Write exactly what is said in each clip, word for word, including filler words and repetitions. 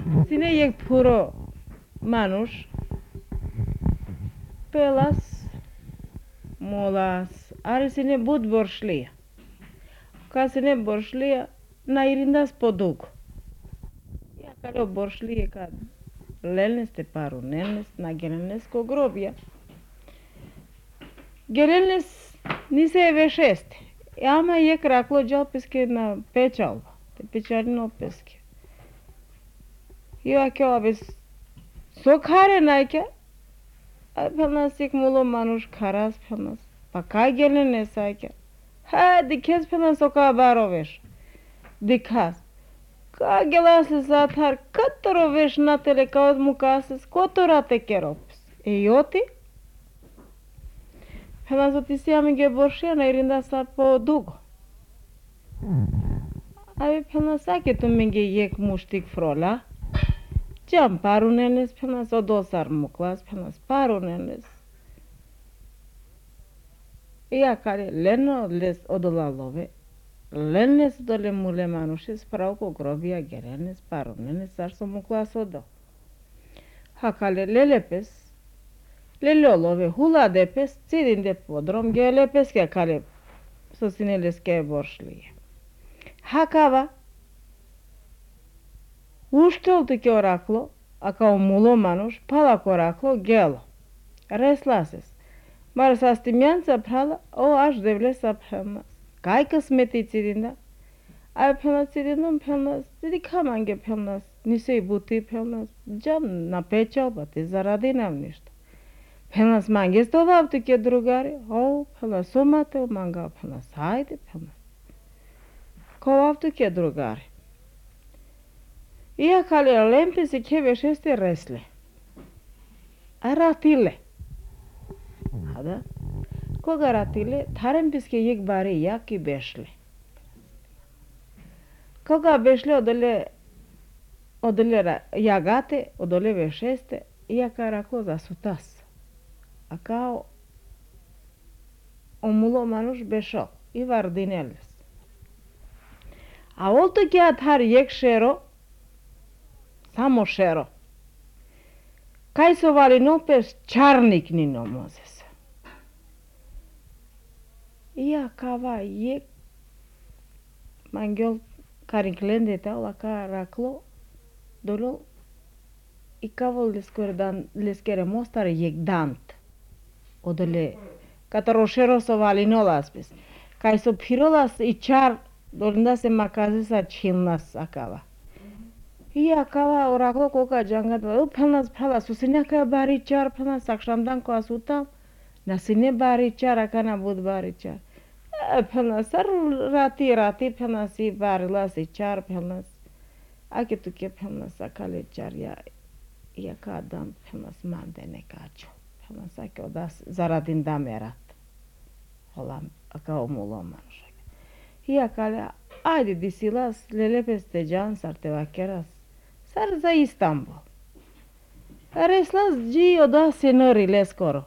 Sine এক পুরো মানুষ pelas molas are sine bud boršlija. Ka sine boršlija na irindas podug. Ja karo boršlije kad lelnes te paru nelnes na gelnes ko grobja. Gelnes nise vešeste. Ama je kraklo džalpeske na pečalba. Te pečarino peske. Jo ke abes sokhare naike. Ay pelas ik mulo manuş karas pelas. Paka gelnes saike. Ha dikes pelas soka baroveş. Dikas. Ka gelase zatar katoro veš na telekaos mukases kotora te keropes. E joti? Pelas otisi amige boršija na irinda sa po dugo. Abi pelas ake tu minge yek muštik frola. Jam parunenes pelas o dosar muklas pelas parunenes. Ja kare leno les odolalove. Lennes dole mule manuše spravo ko grobija gerenes parunenes ar so muklas odo. Hakale lelepes. Lelolove hula depes cidinde podrom gelepes ke kale sosineles ke boršlije. Hakava uštoltu ke oraklo, a kao mulo manuš palak oraklo gelo. Reslases. Mar sastimianța prala o aș devle să phelnas. Kai kısmeti cidinde. Ay phelnas cidindum phelnas. Dedi kamange phelnas. Nisei buti phelnas. Jam na pečalba te zaradinam ništa. Phelnas manges to vavtu ke drugari. O phelnas somate manga phelnas. Haydi phelnas. Ko vavtu ke drugari. Ia kale lempesi ke veșeste resle. Aratile. Hada. Koga ratile tharem piske yek bare ya ki beşle. Koga beşle odole odole jagate odole veșeste ia karaklo za sutas. A kao omulo manuş beşo i vardineles. A olto ke athar yek šero samo šero. Kaj so vali nopes čarnik ni nomozes. Ia kava yek mangyol karinklende ta la karaklo dolo i kavo leskerdan leskere mostar yek dant. Odole kataro so vali nolaspes. Kaj so pirolas i čar dolinda se makazesa čilnas akava. Ia kava oraklo koka jangat o phelnas phala susine ka bari char phelnas akşamdan ko asutam nasine bari char akana bud bari char phelnas sar rati rati phelnas i barila se char phelnas ake tu ke phelnas akale char ya ya ka adam phelnas mandene kaço phelnas ake odas zaradin damerat holam aka omolomanos ia kale aydi disilas lelepeste can sartevakeras Sar za Istanbul. Reslas ji oda senările skoro.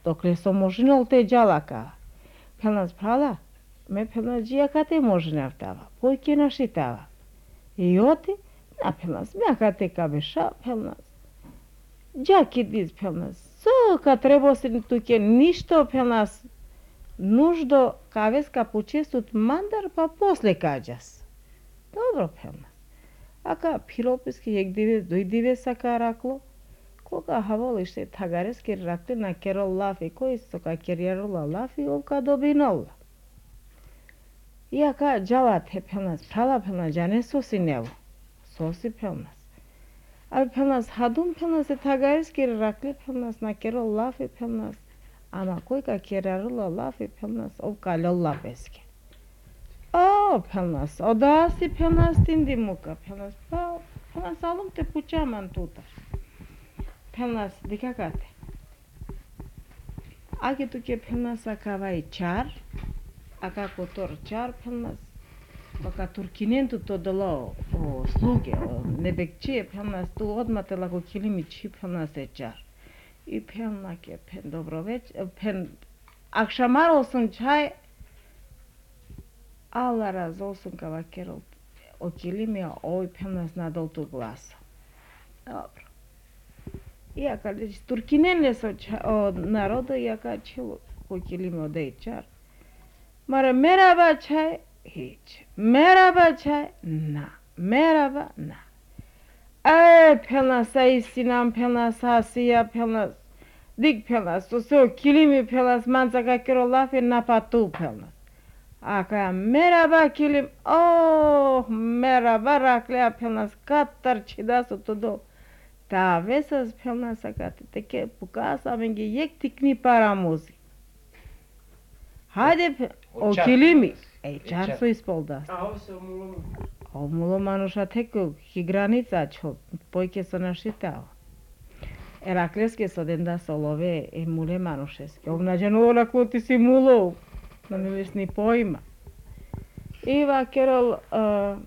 Dokle so možinol te džalaka. Pelnas prala, me pelnas ji akate možinavtava. Pojke našitava. I oti, na pelnas me akate kabeša pelnas. Džaki diz pelnas. So ka treba se tuke ništo pelnas nuždo kaves kapuče sut mandar pa posle kađas. Dobro pelnas. Aka piropeski yek dives doi dives saka raklo. Koga havolište tagareski rakli na kerol lafi koji soka kerjerola lafi ovka dobinolla. Iaka jalat he pelnas prala pelnas jane sosi nevo. Sosi pelnas. Abi pelnas hadum pelnas e tagareski rakli pelnas na kerol lafi pelnas. Ama koga kerjerola lafi pelnas ovka lolla peski. O, pelnas, odasi pelnas tindi muka, pelnas, pa, pelnas alum te pučaman tuta. Pelnas, dikakate. Ake tuke pelnas akavai čar, aka kotor čar pelnas, baka turkinentu to dolo o sluge, o nebekçiye pelnas, tu odmate lako kilimi çi pelnas e čar. I pelnake pen dobroveć, pen, akşamar olsun çay, Allah razı olsun kava kerol o kilimi oj pelnas nadol tu glasa. Dobro. Iaka, deci turchinenile sau o narodă, iaka celor cu chilime o de char. Mare merhaba çay hiç. Merhaba çay na. Merhaba na. Ay pelas ay sinam pelas hasiya pelas. Dik pelas. O so kilimi pelas manzaka kero lafi napatu pelas. Aka merhaba kilim. Oh merhaba raklea pelas. Kattar çidasu todo. Ta vesas pelas akate teke pukas amengi yek tikni paramuzi. Hajde, o kilimi. Ej, čar su ispoldas. A ovo se omulo. O mulo manuša teku, hi granica čo, pojke so našitao. Erakleske so denda solove e mule manušeske. Obnađeno ola kuti si mulo, no ne viš ni pojma. Iva kerol, uh,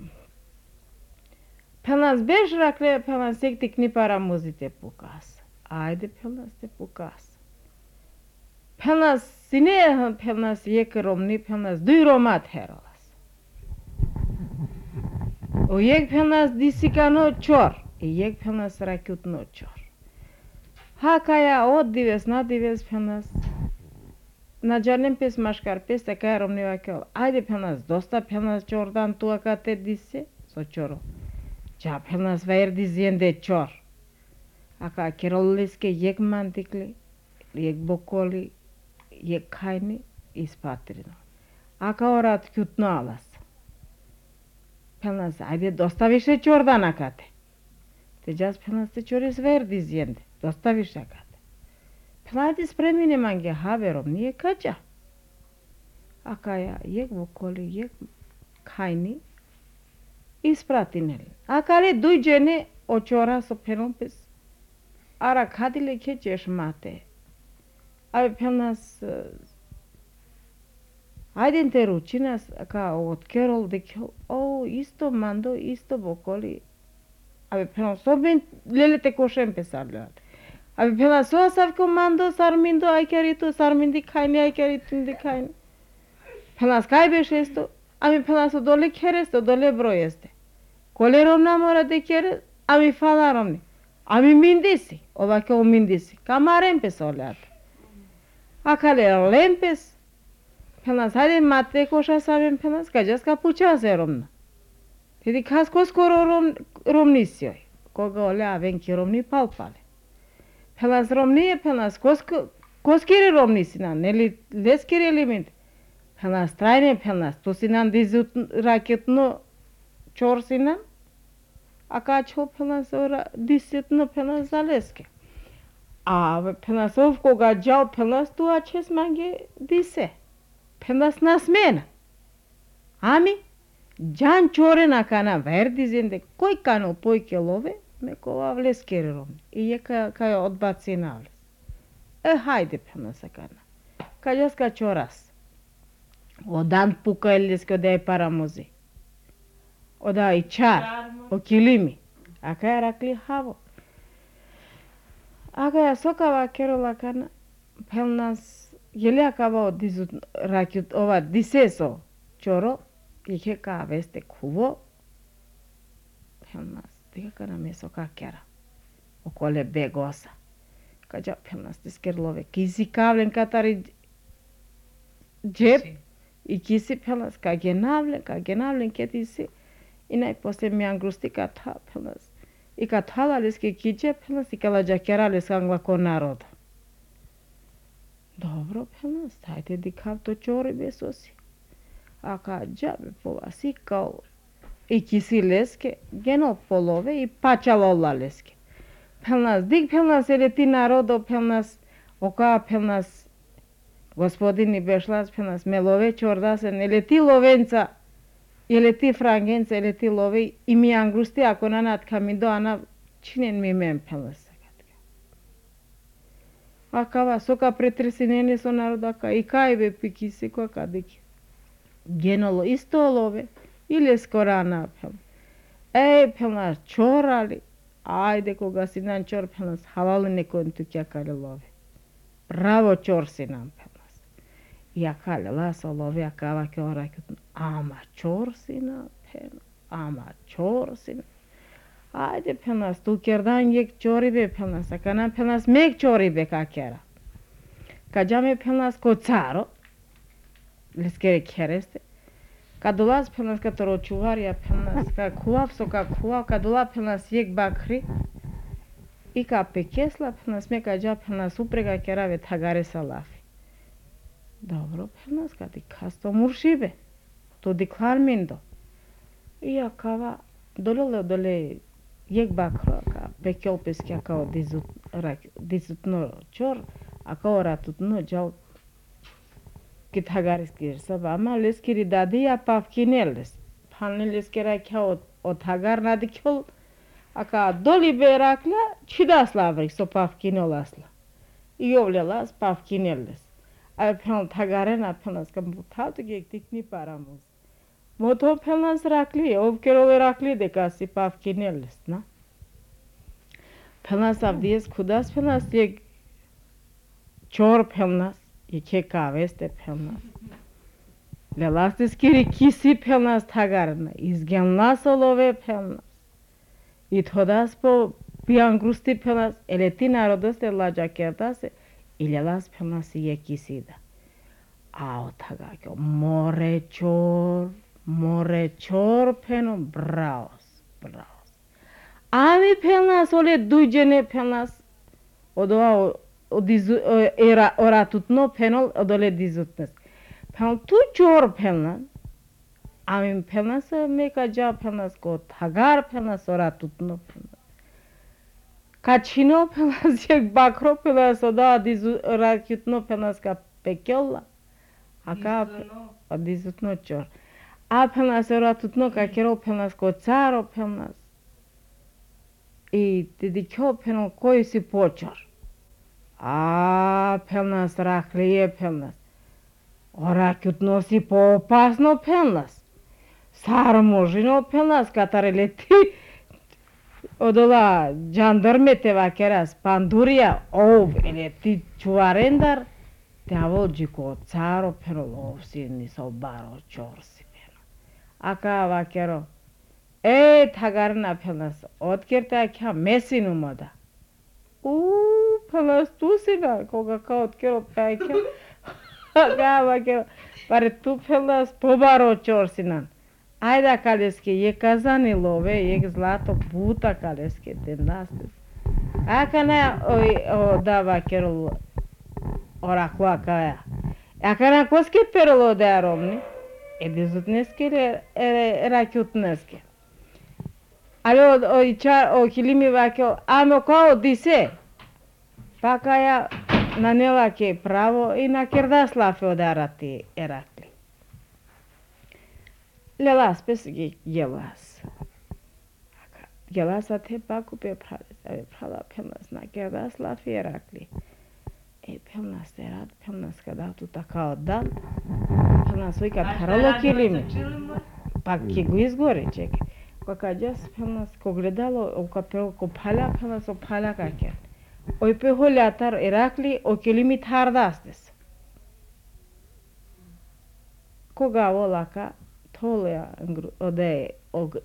pelas bež rakle, pelas jek tikni para muzite pukas. Ajde pelas te pukas. Pelas sine pelas yek romni pelas duy romat herolas. O yek pelas disikano čor, i yek pelas rakutno čor. Hakaya od dives na dives pelas. Na džarnem pes maškar pes taka romni vakel. Ajde pelas dosta pelas čordan tu akate dise so čoro. Ja pelas vair dizende čor. Aka keroliske yek mantikli, yek bokoli, je kajni ispatrino. Aka orat kutno alas. Pelas, ajde, dosta više čordan akate. Te jas pelas te čoris verdi zjende. Dosta više akate. Peladi spremine mange haverom, nije kađa. Aka ja, jek vokoli, jek kajni ispratinel. Aka le duj džene očora so pelompes. Ara kadile kećeš mate. Ave pelas ajde te ručinas kao od kerol de kel o isto mando isto bokoli. Ave pelas soben lelete košem pesarle. Ave pelas so savko mando sarmindo aikeritu sarmindi kayni aikeritu de kayni. Pelas kaybeş esto. Ave pelas dole keresto dole bro este. Kolerom namora de kere ave falarom ne. Ave mindisi. Ovake o mindisi. Kamarem pesolat. Akale lempes, pelas hajde mate koša savem pelas, kađas ka pučase romna. Tedi kas koskoro rom, romnisioj, koga ole avenki romni palpale. Pelas romnije pelas kosko, koskiri romnisina, neli leskiri element. Pelas trajne pelas, to sinan dizut raketno čorsinan, aka čo pelas ora disitno pelas zaleske. A pelas ovkoga džao pelas tu ačes mange dise. Pelas nasmena. Ami, džan čore na kana verdi zende, koj kano pojke love, me kova vleskeri romni. I je ka, ka odbaci na vles. E hajde pelas akana. Kađas ka čoras. Odan puka eljeske oda je paramuzi. Oda i čar, o kilimi. Aka je rakli havo. Aka ja sokava kerola kana pelas jeli akava dizut rakut ova diseso čoro ike ka veste kuvo pelas diga kana me soka kera okole begosa kađa pelas diskerlove kisi kavlen katari džep i kisi pelas ka genavlen ka genavlen ketisi i najposlije mi angrusti ka ta pelas. I kad halaleske kiđe pelas i kalađa kerales angla ko naroda. Dobro pelas, hajde dikav to čori besosi. A kad džabe povas i kao i kisi leske, geno polove i pačalola leske. Pelas, dik pelas eleti narodo pelas, oka pelas, gospodini bešlas pelas, melove čordasen, eleti lovenca, eleti frangenca, eleti love i mi angrusti ako nanat kamindo ana činen mi men pelas. Akava soka pretresinene so narodaka i kajbe pikisi ko kadiki. Genolo isto love ili skorana pel. Ej pelas čorali, ajde koga si nan čor pelas halali nekon tu kjakale love. Bravo čor si nam pelas. I akale laso love akava ke orakut ama čor si nam pel, ama čor si nam. Haydi pelnas tu kerdan yek chori be pelnas akana pelnas mek chori be ka kera. Kajame pelnas ko tsaro. Leskere kereste. Kadulas pelnas ka toro chuvaria pelnas ka kuav so ka kuav kadula pelnas yek bakri. Ika pekesla pelnas me kaja pelnas uprega kera ve thagare salafi. Dobro pelnas ka di kasto murshibe. To diklar mindo. Ia kava dolole dole yek bakro ka pekel peske ka dizut rak dizut no chor aka ora tut no jau ki thagaris kirsa ba ma leskiri dadi ya pavkineles panel leskera ka o, o thagar na dikol aka doli berakla chidas lavrik so pavkinolasla iovlelas pavkineles a pen thagaren apenas ka mutatu ge tikni paramos moto penas rakli ovkerole rakli de kasi pavkineles na penas avdies kudas penas yek chor penas yeke kaveste penas lelastis kiri kisi penas tagarna izgenlas olove penas ithodas po piangrusti penas eleti narodos de la jakerdas ilelas penas yekisida ao tagakyo more chor more chor peno braos braos ami penas ole dujene penas odoa o dizu era ora tutno penol odole dizutnes penol tu chor penan ami penas meka ja penas ko thagar penas ora tutno penas kachino penas yek bakro penas oda dizu ora tutno penas ka pekolla aka dizutno chor a penas ora tutno ka kero penas ko tsaro penas i dedikyo penol koisi pochor a pelnas raklie pelnas ora kyutnosi po opasno pelnas sarmožino pelnas katareleti odola jandarmete vakeras panduria ov eleti chuarendar te avolģiko caro perolovsini sobaro chorsi peno aka vakero e thagarna pelnas otkerta kya mesinumoda u pelas tusina koga kaut kero paike gava kero pare tu pelas pobaro chorsinan ajda kaleski je kazani love je zlato buta kaleski denastes akana o dava kero orakua kaya akana koske perlo darovni edizutneski era kyutneski alo o ichar o kilimi vakio amo kao dise pakaya nanela ke pravo i na kerdas la feodarati erakli lelas pesgi gelas gelas ate paku pe prales ave prala penas na kerdas la ferakli e penas erat penas kada tu takao dan penas uika taralo kilimi pakki guiz gore ček Какадяс пелнас когледало окапел копаля пелнас опаля какен. Ой пехолятар Иракли окелими тардастес. Кога волака толеа оде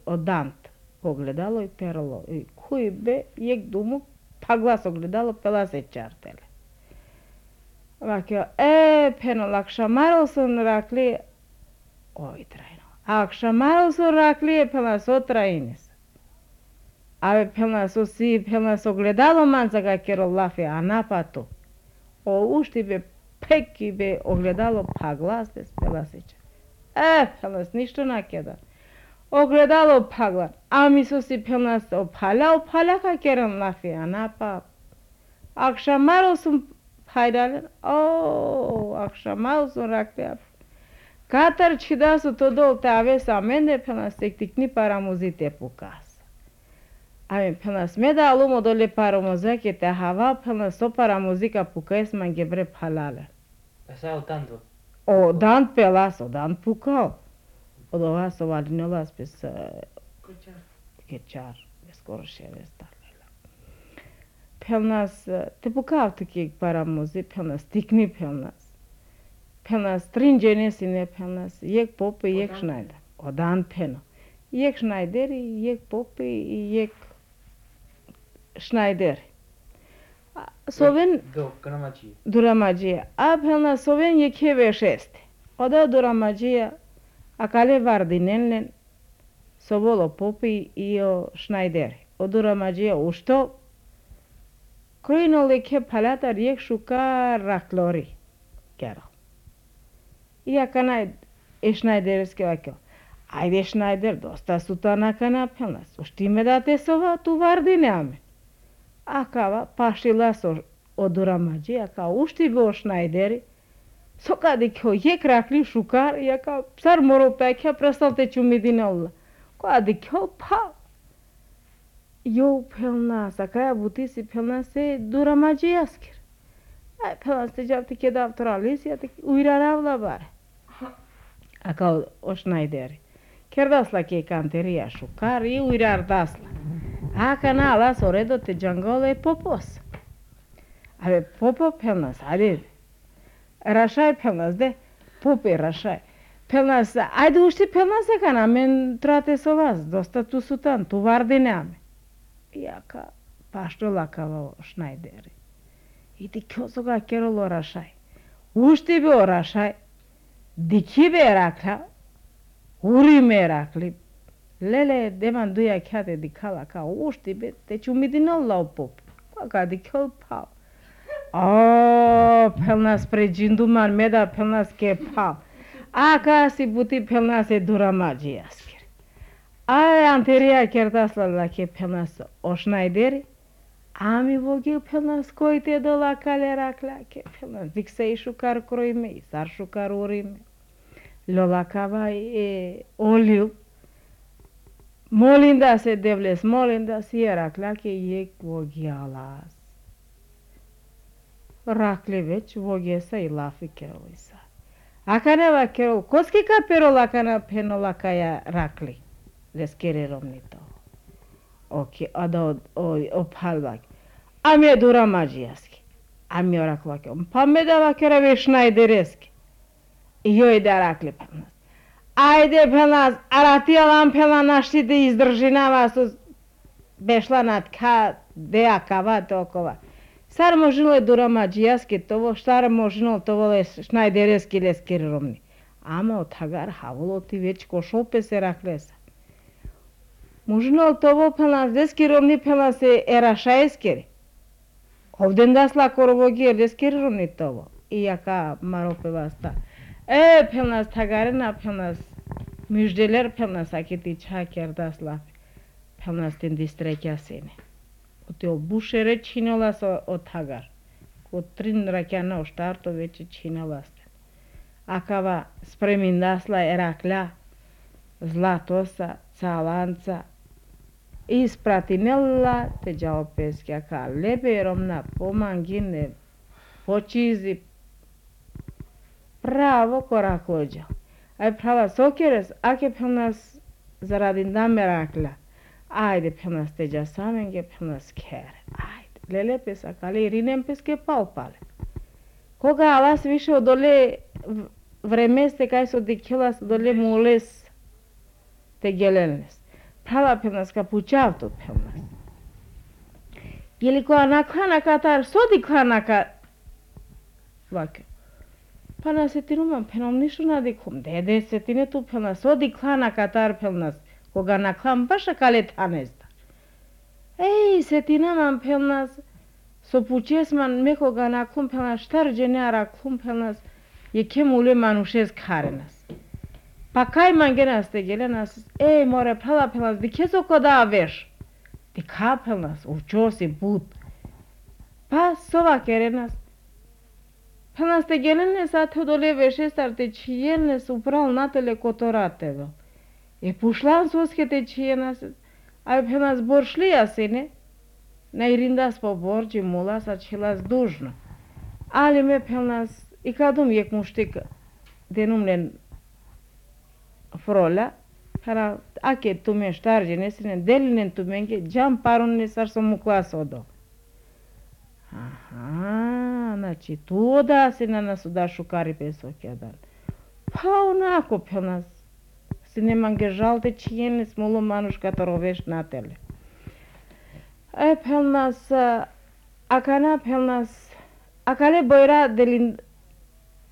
одант когледало и перло. И куй бе ек думу паглас огледало пеласе чартеле. Вакио е пено лакшамаролсон Иракли ой трайно. Акшамаросо раклие пелнас отраинес. Аве пелнас оси пелнас огледало манзага керо лафи анапато. О ушти бе пеки бе огледало пагластес пеласича. Е, пелнас ништо накеда. Огледало пагла. Ами соси пелнас опаля опаля ка керам лафи анапа. Акшамаросо пайдален. О, акшамаросо раклие Katar chidasu todo te aves amende penas teknikni paramuzite pukas. Ame penas meda alumo dole paramuzake te hava penas so paramuzika pukais mangebre palale. Esa o tanto. O dan pelas o dan pukao. O dova so valinolas pes Kochar. kechar skoro ševes dalela. Penas te pukao teki paramuzi penas tikni penas. Penas stringenesine penas yek popi yek schneider odan peno yek schneideri yek popi yek Schneider. Soven duramagia. Apelna soven yeke veșeste. Oda duramagia acale vardinellen sovolo popi io Schneider. O duramagia ušto Croinole che palata riek shuka raklori. Chiaro. Ia cana e Schneider skevakio. Ajde Schneider dosta sutana cana pelnas. Uštime da te sova tu vardine ame. Acaba pașila so o duramagia ca uști be o Schneideri. Soca de kio yek rakli shukar ia ca psar moro pekea prasalte chumidinalla. Ca de kio pa. Eu pelnas, acaia butisi pelnas se duramagia asker. Ai pelnas te javte ke davtoralis ia te uiraravla bare. Aca o Schneideri. Kerdasla ke canteria shukar i uirar dasla. Aca na las oredo te jangole popos. Ave popo pelnas, ade rașai pelnas de pope rașai. Pelnas, ajde uști pelnas e cana, men trate sovas, dosta tu sutan, tu vardineame. Ia ca pašto lakava o Schneideri. Iti kiosoga kerolo rașai. Uști be o rașai, dici be rakla, uri me rakli. Lele deman duia chiate di cala ca uști be, deci umidinol la o pop. Ca di chiol pau. Oh, pelnas preginduman meda pelnas ke pau. Aca si buti pelnas e duramagia asker. Ai anteria kertasla la ke pelnas o Schneideri. Ami vogi pelnas coite de la cale rakla ke pelnas dixei shukar croime, sar shukar urime. Lola cava e oliu. Molinda se devles, molinda si era clake yek vogialas. Rakle već vogie sa i lafi kerolisa. Akane va kerol, koski ka perol akana penola kaya rakli. Leskere romnito. Oki, ada o, o, o palvak. Ami duramagiaski. Ami oraklake. Pameda va kera ve Schneidereski. Joj da rakli pelnas. Ajde pelnas, aratijalan pelanašti da izdržinava su bešla na tka dea kava tokova. Sar možilo duramagiaski tovo, štar možilo tovo le Schneidereski leskeri romni. Ama o tagar havolo ti već košope se raklesa. Možilo tovo pelnas leskeri romni pelnas e erašaeskeri. Ovden dasla korovogi leskeri romni tovo. Iaka marope vasta. E pelnas tagarena pelnas müjdeler pelnas akiti çakerdasla pelnas din distrekya seni. O te o bušere činolas o, o tagar. Ko trin rakjana o štarto veće činolas. Akava spremindasla erakla zlatosa, calanca. Ispratinella te džaopeski aka leberomna pomangine počizi pravo koraklođa. Aj prava sokeres, ake pelnas zaradin da merakla. Ajde pelnas teđa samenge, pelnas kere. Ajde, lele pes akale irinem peske palpale. Koga alas više odole vremeste kaj so dikilas odole mules te gelelnes. Prava pelnas kapučavto pelnas. Jeli ko anaklana katar sodi klanaka vake. Pana se tinuman penom ništa nadikum. Dede se tine tu pelnas odi klana katar pelnas. Koga naklam baša kale tanezda. Ej, se tinaman pelnas so pučesman me koga naklum pelnas štar dženara klum pelnas je kemule manušez karenas. Pa kaj man genas te gelenas, ej more prala pelnas di keso koda veš. Di ka pelnas učosi bud. Pa sova kerenas. Pelnas te gelenes a te dole veșestar te cielnes upral natele cotorateve. E pușlan soske te cienas, ai pelnas boršlija sine, ne irindas po borci mulas a cilas dužno. Ali me pelnas, i kadum jek muštik denumlen frola, para ake tume štarđe nesine, delinen tumenge, džam parun nesar so muklas odo. Aha, znači tu da se na nas da šukari pesoke dan. Pa onako pelnas, si ne mange žalte čijene smolo manuš kataroveš na tele. E pelnas akana pelnas akale boira delin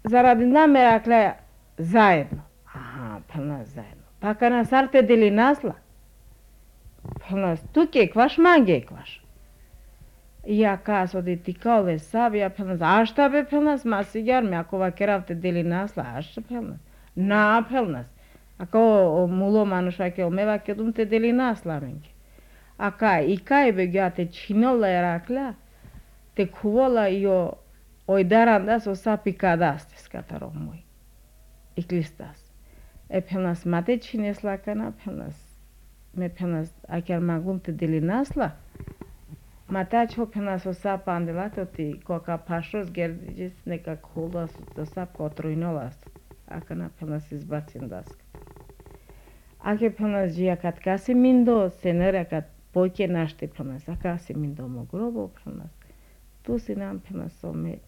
zaradina merakla zajedno. Aha, pelnas zajedno. Pa kana sarte deli nasla. Pelnas tu kekvaš, man kekvaš. Ja kaso de tikale sabia pelnas ashta be pelnas masigar me ako vakeravte deli nasla ashta pelnas. Na pelnas. Ako mulo manusha ke me vakedum te deli nasla menke. Aka ikai be gyate chinola erakla. Te kuvola io oidarandas o sapikadastes kataromoi. Iklistas. E pelnas mate chinesla kana pelnas. Me pelnas aker maglum te deli nasla. Mata čo pelnas o sap andelato ti koka pašos gerdis neka kulas o sap kotrujnolas. Akana pelnas izbacindas. Ake pelnas jia kat kasi mindo senera kat poike našti pelnas. Akasi mindo mo grobo pelnas. Tu sinam pelnas o me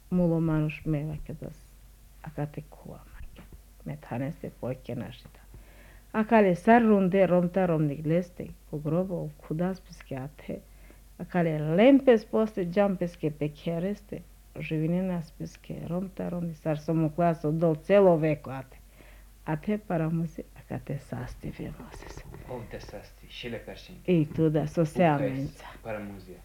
mulo manuš me vakedas. Akate kuva make. Me taneste poike našita. Akale sar runde romta romnik leste. Ko grobo kudas piske ate. Akale lempes poste jumpes ke pekhereste. Živinenas piske romta romni sar somu klaso dol celo veko ate. Ate para muzi akate sasti filmoses. Ovde sasti, šile peršinki. I tu da socijalnica. Para muzija.